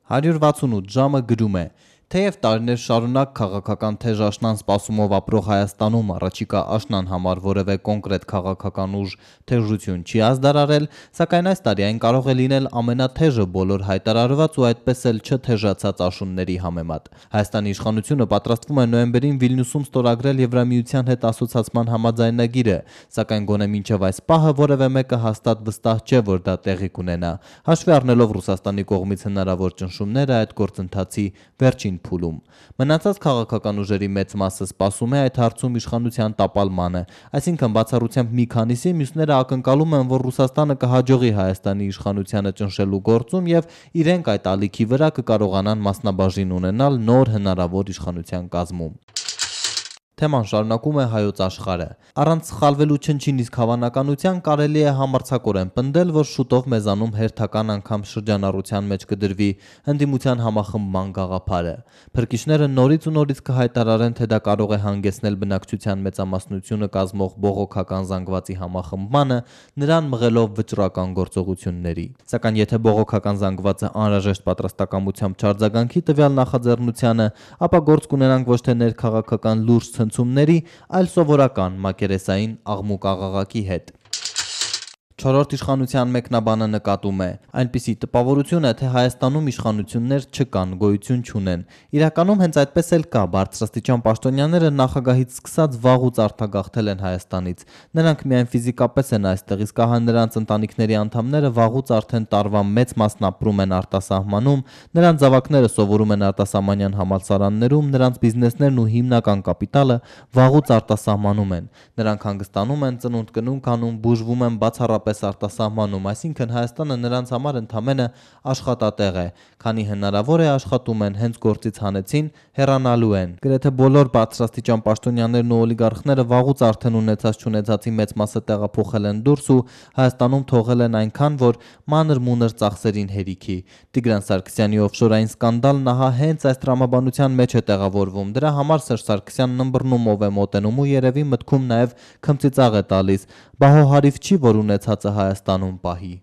168 ժամը գրում է. Թեև տարիներ շարունակ քաղաքական թեժ աշնան սպասումով ապրող Հայաստանում առաջիկա աշնան համար որևէ կոնկրետ քաղաքական ուժ թեժություն չի ազդարարել, սակայն այս տարի այն կարող է լինել ամենաթեժը բոլոր հայտարարված ու այդպես էլ չթեժացած աշունների համեմատ։ Հայաստանի իշխանությունը պատրաստվում է նոյեմբերին Վիլնյուսում ստորագրել Եվրամիության հետ ասոցացման համաձայնագիրը, սակայն գոնե մինչև այս պահը որևէ մեկը հաստատ վստահ չէ, որ դա տեղի կունենա, հաշվի առնելով Ռուսաստանի կողմից հնարավոր ճնշումները այդ գործընթացի վերջին փուլում։ Մնացած քաղաքական ուժերի մեծ մասը սպասում է այդ հարցում իշխանության տապալմանը, այսինքն բացառությամբ մի քանիսի, մյուսները ակնկալում են, որ Ռուսաստանը կհաջողի Հայաստանի իշխանությանը ճնշելու գործում եւ իրենք այդ ալիքի վրա կկարողանան մասնաբաժին ունենալ նոր հնարավոր իշխանության կազմում։ Թեման շարունակում է Հայոց Աշխարհը։ Առանց սխալվելու չնչին իսկ հավանականության կարելի է համարձակորեն պնդել, որ շուտով մեզանում հերթական անգամ շրջանառության մեջ կդրվի ընդդիմության համախմբման գաղափարը։ Փրկիչները նորից ու նորից կհայտարարեն, թե դա կարող է հանգեցնել բնակչության մեծամասնությունը կազմող բողոքական զանգվածի համախմբմանը, նրան մղելով վճռական գործողությունների։ Սակայն եթե բողոքական զանգվածը անհրաժեշտ պատրաստակամությամբ չարձագանքի տվյալ նախաձեռնությանը, ապա գործ կունենանք ոչ թե ներքաղաքական լուրջ ցնցումների, այլ սովորական մակերեսային աղմուկ-աղաղակի հետ։ Չորրորդ իշխանության մեկնաբանը նկատում է. այնպիսի տպավորություն է, թե Հայաստանում իշխանություններ չկան, գոյություն չունեն։ Իրականում հենց այդպես էլ կա, բարձրաստիճան պաշտոնյաները նախագահից սկսած վաղուց արտագաղթել են Հայաստանից։ Նրանք միայն ֆիզիկապես են այստեղ, իսկ ահա նրանց ընտանիքների անդամները վաղուց արդեն տարվա մեծ մասն ապրում են արտասահմանում, նրանց զավակները սովորում են արտասահմանյան համալսարաններում, նրանց բիզնեսներն ու հիմնական կապիտալը վաղուց արտասահմանում են։ Նրանք հանգստանում են, ծնունդ կնունք անում, բուժվում են բացառապես արտասահմանում, այսինքն Հայաստանը նրանց համար ընդամենը աշխատատեղ է, քանի հնարավոր է աշխատում են, հենց գործից հանեցին, հեռանալու են։ Գրեթե բոլոր բարձրաստիճան պաշտոնյաներն ու օլիգարխները վաղուց արդեն ունեցած-չունեցածի մեծ մասը տեղափոխել են դուրս ու Հայաստանում թողել են այնքան, որ մանր-մունր ծախսերին հերիքի։ Տիգրան Սարգսյանի օֆշորային սկանդալն ահա հենց այս տրամաբանության մեջ է տեղավորվում։ Դրա համար Սերժ Սարգսյանն ըմբռնումով է մոտենում ու երևի մտքում նաև քմծիծաղ է տալիս։ Բա հո հարիվ չի, որ ունեցածը Հայաստանում պահի։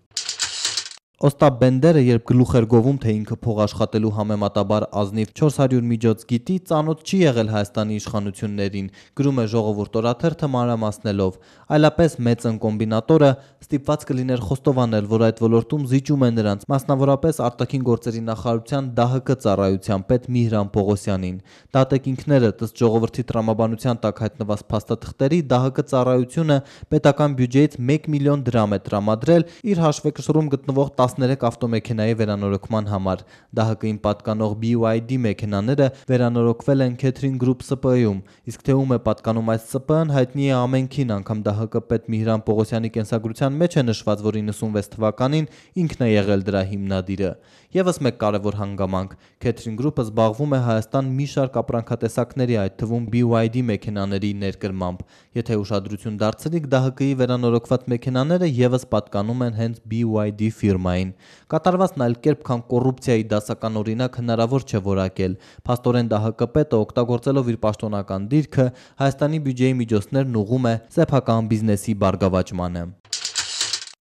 Օստապ Բենդերը, երբ գլուխ էր գովում, թե ինքը փող աշխատելու համեմատաբար ազնիվ 400 միջոց գիտի, ծանոթ չի եղել Հայաստանի իշխանություններին, գրում է Ժողովուրդ օրաթերթը մանրամասնելով, այլապես մեծ ընկոմբինատորը ստիպված կլիներ խոստովանել, որ այդ ոլորտում զիջում է նրանց, մասնավորապես արտաքին գործերի նախարարության ԴՀԿ ծառայության պետ Միհրան Պողոսյանին։ Դատեք ինքներդ, ըստ Ժողովրդի տրամաբանության տակ հայտնված փաստաթղթերի, ԴՀԿ ծառայությունը պետական բյուջեից 1 միլիոն դրամ է տրամադրել իր հաշվեկշռում գտնվող 13 ավտոմեքենայի վերանորոգման համար։ ԴՀԿ-ին պատկանող BYD մեքենաները վերանորոգվել են Catering Group ՍՊԸ-ում, իսկ թե ում է պատկանում այս ՍՊԸ-ն հայտնի է ամենքին, անգամ ԴՀԿ պետ Միհրան Պողոսյանի կենսագրության մեջ է նշված, որ 96 թվականին ինքն է եղել դրա հիմնադիրը։ Եվս մեկ կարևոր հանգամանք. Catering Group-ը զբաղվում է Հայաստան մի շարք ապրանքատեսակների, այդ թվում BYD մեքենաների ներկրմամբ։ Եթե ուշադրություն դարձնիք, ԴՀԿ-ի վերանորոգված մեքենաները եւս պատկանում են հենց BYD ֆիրմային։ Կատարվածն այլ կերպ, քան կոռուպցիայի դասական օրինակ հնարավոր չէ որակել։ Փաստորեն ԴՀԿ պետը, օգտագործելով իր պաշտոնական դիրքը, Հայաստանի բյուջեի միջոցներն ուղղում է սեփական բիզնեսի բարգավաճմանը։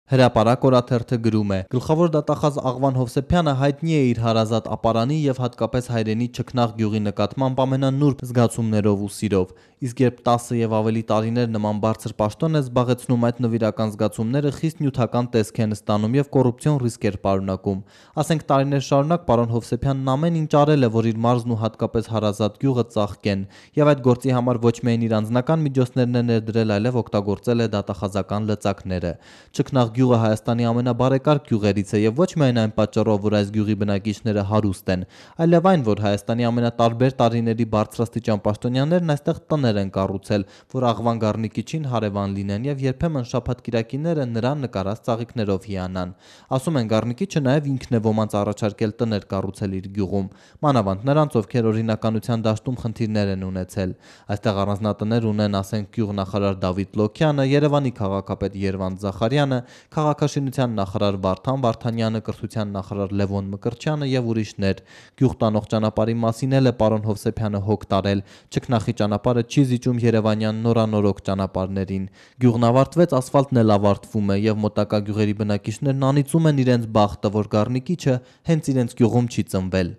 Հրապարակ օրաթերթը գրում է. գլխավոր դատախազ Աղվան Հովսեփյանը հայտնի է իր հարազատ ապարանի եւ հատկապես հայրենի Չքնաղ գյուղի նկատմամբ ամենանուրբ զգացումներով ու սիրով, իսկ երբ 10 եւ ավելի տարիներ նման բարձր պաշտոն է զբաղեցնում, այդ նվիրական զգացումները խիստ նյութական տեսք են ստանում եւ կոռուպցիոն ռիսկեր պարունակում։ Ասենք տարիներ շարունակ պարոն Հովսեփյանն ամեն ինչ արել է, որ իր մարզն ու հատկապես հարազատ գյուղը ծաղկեն, եւ այդ գործի համար ոչ միայն իր անձնական միջոցներն է ներդրել, այլև օգտագործել է դատախազական լծակները։ Չքնաղ գյուղը Հայաստանի ամենաբարեկարգ գյուղերից է եւ ոչ միայն այն պատճառով, որ այս գյուղի բնակիչները հարուստ են, այլև այն, որ Հայաստանի ամենատարբեր տարիների բարձրաստիճան պաշտոնյաներն այստեղ տներ են կառուցել, որ Աղվան Գառնիկիչին հարևան լինեն եւ երբեմն շաբաթ-կիրակիները նրան նկարած ծաղիկներով հիանան։ Ասում են Գառնիկիչը նաեւ ինքն է ոմանց առաջարկել տներ կառուցել իր գյուղում, մանավանդ նրանց, ովքեր օրինականության դաշտում խնդիրներ են ունեցել։ Այստեղ առանձնատներ ունեն, ասենք, գյուղնախարար Դավիթ Լոքյանը, Երևանի քաղաքապետ Երվանդ Զախարյանը, քաղաքաշինության նախարար Վարդան Վարդանյանը, կրթության նախարար Լևոն Մկրտչյանը եւ ուրիշներ։ Գյուղ տանող ճանապարհի մասին էլ է պարոն Հովսեփյանը հոգ տարել։ Չքնախի ճանապարհը չի զիջում Երևանյան նորանորոգ ճանապարհներին։ Գյուղն ավարտվեց, ասֆալտն էլ ավարտվում է եւ մոտակա գյուղերի բնակիչներն անիծում են իրենց բախտը, որ Գառնիկիչը հենց իրենց գյուղում չի ծնվել։